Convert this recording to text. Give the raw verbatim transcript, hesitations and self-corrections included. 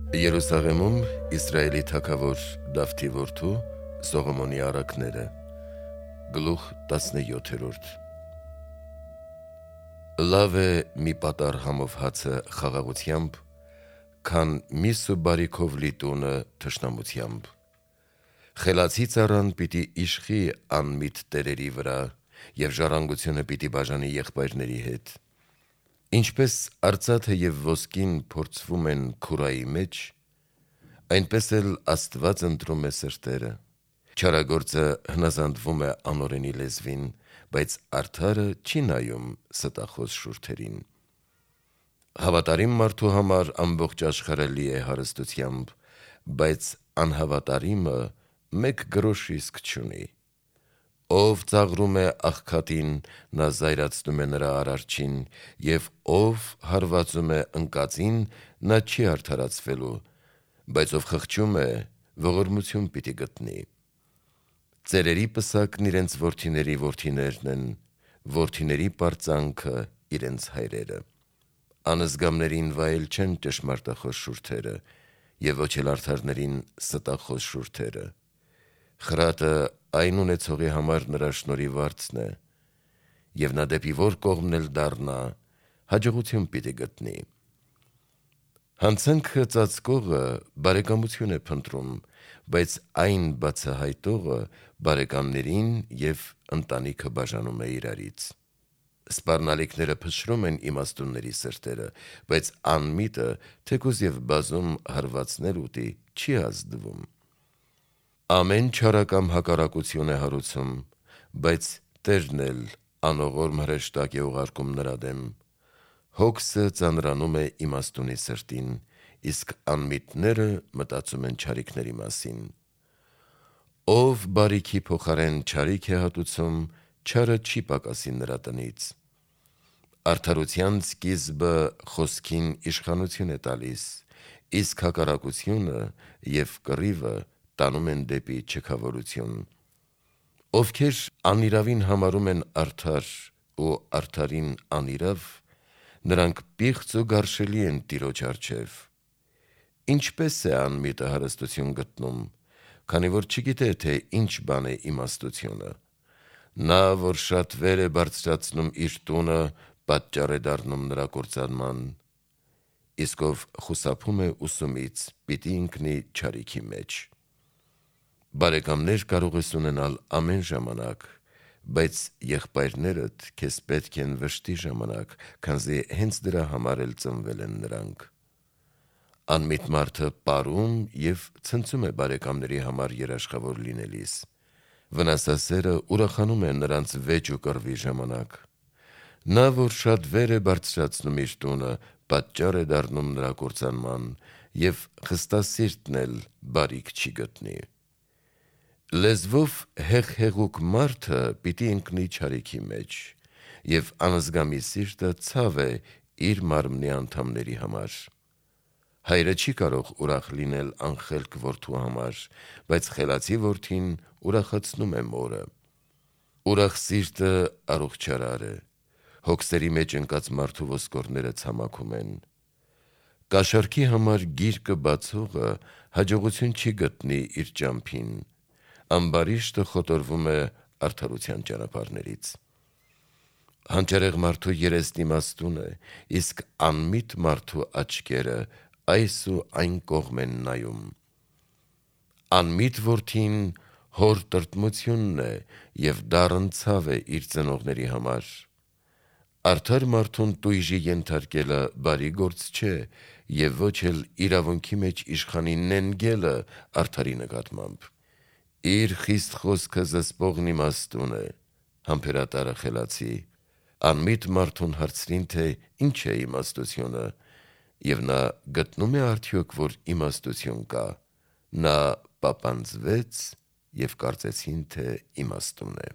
Երուսաղեմում Իսրայելի թագավոր Դավթի որդու Սողոմոնի առակները Գլուխ տասնյոթերորդ Լավ է մի պատառ համով հացը խաղաղությամբ, քան միս ու բարիքով լի տունը թշնամությամբ։ Խելացի ծառան պիտի իշխի անմիտ տերերի վրա, և ժառանգությունը պիտի բաժանի եղբայրների հետ։ Ինչպես արծաթը և ոսկին փորձվում են քուրայի մեջ, այնպես էլ Աստված ընտրում է սրտերը։ Չարագործը հնազանդվում է անօրենի լեզվին, բայց արդարը չի նայում ստախոս շուրթերին։ Հավատարիմ մարդու համար ամբողջ աշխարհը լի է հարստությամբ, բայց անհավատարիմը մեկ գրոշիսկ չունի։ Ով ծաղրում է աղքատին, նա զայրացնում է նրա արարչին, և ով հարվածում է ընկածին, նա չի արդարացվելու, բայց ով խղճում է, ողորմություն պիտի գտնի։ Ծերերի պսակն իրենց որդիների որդիներն են, որդիների պարծանքը իրենց հայրերը։ Անզգամներին վայել չեն ճշմարտախոս շուրթերը, և ոչ էլ արդարներին ստախոս շուրթերը։ Խրատը այն ունեցողի համար նրա շնորհիվարձն է, և նա դեպի որ կողմն էլ դառնա, հաջողություն պիտի գտնի։ Հանցանքը ծածկողը բարեկամություն է փնտրում, բայց այն բացահայտողը բարեկամներին և ընտանիքը բաժանում է իրարից։ Սպառնալիքները փշրում են իմաստունների սրտերը, բայց անմիտը, թեկուզ և բազում հարվածներ ուտի, չի ազդվում։ Ամեն չարակամ հակառակություն է հարուցում, բայց Տերն էլ անողորմ հրեշտակ է ուղարկում նրա դեմ։ Հոգսը ծանրանում է իմաստունի սրտին, իսկ անմիտները մտածում են չարիքների մասին։ Ով բարիքի փոխարեն չարիք է հատուցում, չարը չի պակասի նրա տնից։ Արդարության սկիզբը խոսքին իշխանություն է տալիս, իսկ հակառակությունը և կռիվը տանում են դեպի չքավորություն։ Ովքեր անիրավին համարում են արդար ու արդարին անիրավ, նրանք պիղծ ու գարշելի են Տիրոջ առջև։ Ինչպե՞ս է անմիտը հարստություն գտնում, քանի որ չգիտե, թե ինչ բան է իմաստությունը։ Նա, որ շատ վեր է բարձրացնում իր տունը, պատճառ է դառնում նրա կործանման, իսկ ով խուսափում է ուսումից, պիտի ընկնի չարիքի մեջ։ Բարեկամներ կարող ես ունենալ ամեն ժամանակ, բայց եղբայրներդ քեզ պետք են վշտի ժամանակ, քանզի հենց դրա համար էլ ծնվել են նրանք։ Անմիտ մարդը պարում և ցնծում է բարեկամների համար երաշխավոր լինելիս։ Վնասասերը ուրախանում է նրանց վեճ ու կռվի ժամանակ։ Նա, որ շատ վեր է բարձրացնում իր տունը, պատճառ է դառնում նրա կործանման, և խստասիրտն էլ բարիք չի գտնի։ Լեզվով հեղհեղուկ մարդը պիտի ընկնի չարիքի մեջ, և անզգամի սիրտը ցավ է իր մարմնի անդամների համար։ Հայրը չի կարող ուրախ լինել անխելք որդու համար, բայց խելացի որդին ուրախացնում է մորը։ Ուրախ սիրտը առողջարար է, հոգսերի մեջ ընկած մարդու ոսկորները ցամաքում են։ Կաշառքի համար գիրկը բացողը հաջողություն չի գտնի իր ճամփին, ամբարիշտը խոտորվում է արդարության ճանապարհներից։ Հանճարեղ մարդու երեսն իմաստուն է, իսկ անմիտ մարդու աչքերը այս ու այն կողմ են նայում։ Անմիտ որդին հոր տրտմությունն է, և դառն ցավ է իր ծնողների համար։ Արդար մարդուն տույժի ենթարկելը բարի գործ չէ, և ոչ էլ իրավունքի մեջ իշխանի նենգելը արդարի նկատմամբ։ Իր խիստ խոսքը զսպողն իմաստուն է, համբերատարը խելացի։ Անմիտ մարդուն հարցրին, թե ինչ է իմաստությունը, և նա գտնում է արդյոք, որ իմաստություն կա, նա պապանձվեց և կարծեցին, թե իմաստուն է։